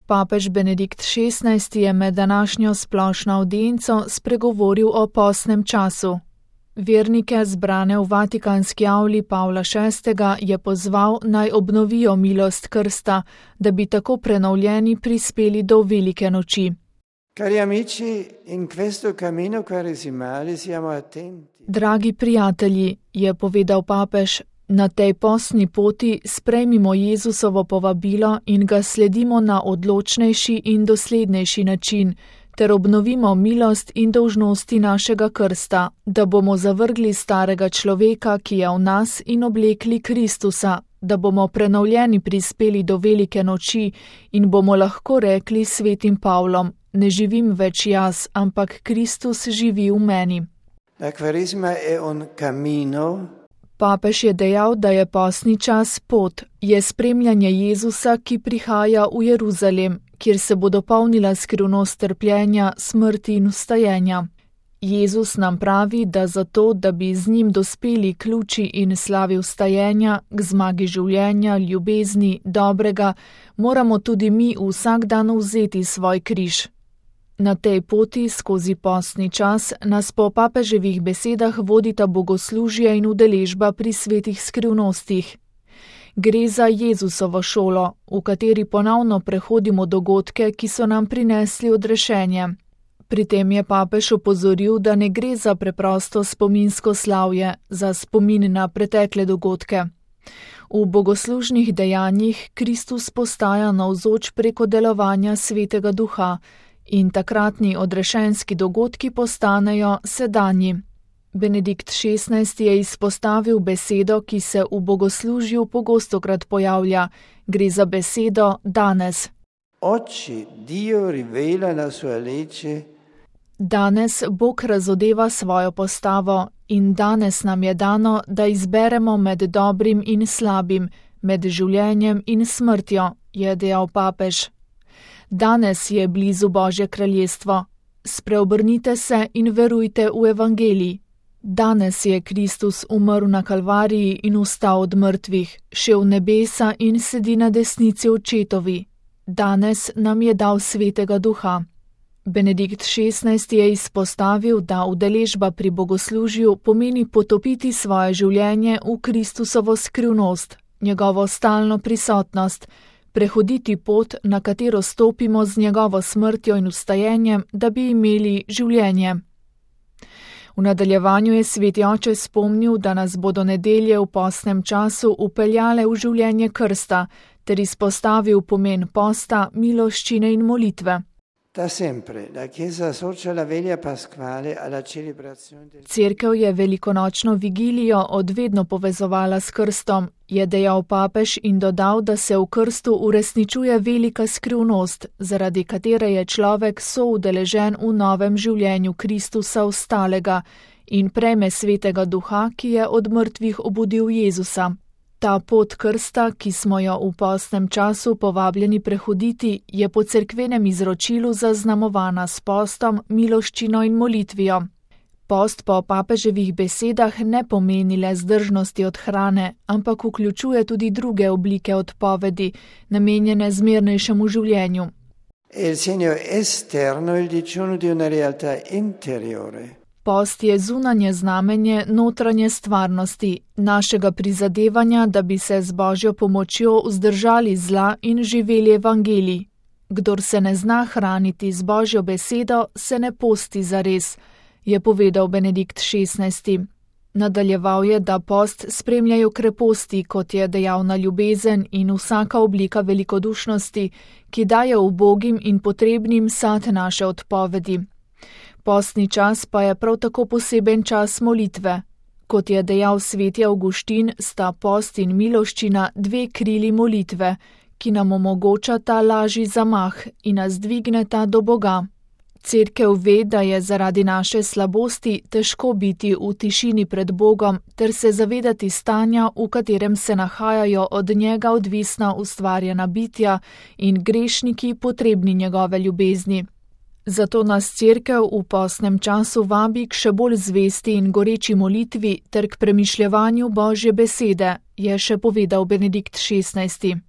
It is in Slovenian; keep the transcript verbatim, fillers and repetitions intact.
Papež Benedikt šestnajsti je med današnjo splošno avdienco spregovoril o postnem času. Vernike, zbrane v vatikanski avli Pavla šestega, je pozval, naj obnovijo milost krsta, da bi tako prenovljeni prispeli do velike noči. Cari amici, in questo cammino quaresimale siamo attenti. Dragi prijatelji, je povedal papež, na tej postni poti sprejmimo Jezusovo povabilo in ga sledimo na odločnejši in doslednejši način, ter obnovimo milost in dolžnosti našega krsta, da bomo zavrgli starega človeka, ki je v nas, in oblekli Kristusa, da bomo prenovljeni prispeli do velike noči in bomo lahko rekli svetim Pavlom, ne živim več jaz, ampak Kristus živi v meni. La Quaresima è un cammino. Papež je dejal, da je postni čas pot, je spremljanje Jezusa, ki prihaja v Jeruzalem, kjer se bo dopolnila skrivnost trpljenja, smrti in vstajenja. Jezus nam pravi, da zato, da bi z njim dospeli k luči in slavi vstajenja, k zmagi življenja, ljubezni, dobrega, moramo tudi mi vsak dan vzeti svoj križ. Na tej poti skozi postni čas nas po papeževih besedah vodita bogoslužje in udeležba pri svetih skrivnostih. Gre za Jezusovo šolo, v kateri ponovno prehodimo dogodke, ki so nam prinesli odrešenje. Pri tem je papež opozoril, da ne gre za preprosto spominsko slavje, za spomin na pretekle dogodke. V bogoslužnih dejanjih Kristus postaja navzoč preko delovanja Svetega Duha, in takratni odrešenski dogodki postanejo sedanji. Benedikt šestnajsti je izpostavil besedo, ki se v bogoslužju pogostokrat pojavlja. Gre za besedo danes. Oggi Dio rivela la sua legge. Danes Bog razodeva svojo postavo in danes nam je dano, da izberemo med dobrim in slabim, med življenjem in smrtjo, je dejal papež. Danes je blizu Božje kraljestvo. Spreobrnite se in verujte v evangelij. Danes je Kristus umrl na Kalvariji in vstal od mrtvih, šel v nebesa in sedi na desnici očetovi. Danes nam je dal Svetega Duha. Benedikt šestnajsti je izpostavil, da udeležba pri bogoslužju pomeni potopiti svoje življenje v Kristusovo skrivnost, njegovo stalno prisotnost, prehoditi pot, na katero stopimo z njegovo smrtjo in vstajenjem, da bi imeli življenje. V nadaljevanju je sveti oče spomnil, da nas bodo nedelje v postnem času upeljale v življenje krsta, ter izpostavil pomen posta, miloščine in molitve. Da sempre la Chiesa associa la veglia pasquale alla celebrazione del... Cerkev je velikonočno vigilijo odvedno povezovala s krstom, je dejal papež in dodal, da se v krstu uresničuje velika skrivnost, zaradi katere je človek soudeležen v novem življenju Kristusa vstalega in prejme Svetega Duha, ki je od mrtvih obudil Jezusa. Ta pot krsta, ki smo jo v postnem času povabljeni prehoditi, je po cerkvenem izročilu zaznamovana s postom, miloščino in molitvijo. Post po papeževih besedah ne pomeni le zdržnosti od hrane, ampak vključuje tudi druge oblike odpovedi, namenjene zmernejšemu življenju. Il segno esterno il digiuno di una realtà interiore. Post je zunanje znamenje notranje stvarnosti, našega prizadevanja, da bi se z Božjo pomočjo vzdržali zla in živeli evangelij. Kdor se ne zna hraniti z Božjo besedo, se ne posti zares, je povedal Benedikt šestnajsti. Nadaljeval je, da post spremljajo kreposti, kot je dejavna ljubezen in vsaka oblika velikodušnosti, ki daje ubogim in potrebnim sad naše odpovedi. Postni čas pa je prav tako poseben čas molitve. Kot je dejal sveti Avguštin, sta post in miloščina dve krili molitve, ki nam omogočata lažji zamah in nas dvigneta do Boga. Cerkev ve, da je zaradi naše slabosti težko biti v tišini pred Bogom ter se zavedati stanja, v katerem se nahajajo od njega odvisna ustvarjena bitja in grešniki potrebni njegove ljubezni. Zato nas cerkev v postnem času vabi k še bolj zvesti in goreči molitvi ter k premišljevanju Božje besede, je še povedal Benedikt šestnajsti.